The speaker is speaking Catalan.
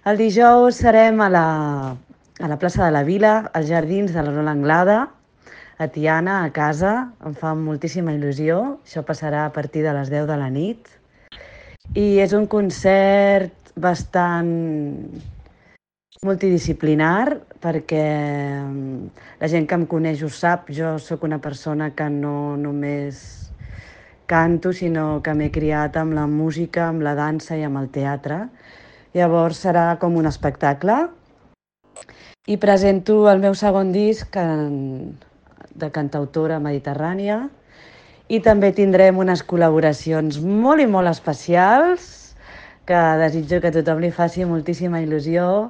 El dijous serem a la plaça de la Vila, als jardins de la Rola Anglada, a Tiana, a casa. Em fa moltíssima il·lusió. Això passarà a partir de les 10 de la nit. I és un concert bastant multidisciplinar perquè la gent que em coneix ho sap. Jo sóc una persona que no només canto, sinó que m'he criat amb la música, amb la dansa i amb el teatre. Llavors serà com un espectacle i presento el meu segon disc de cantautora mediterrània i també tindrem unes col·laboracions molt i molt especials que desitjo que a tothom li faci moltíssima il·lusió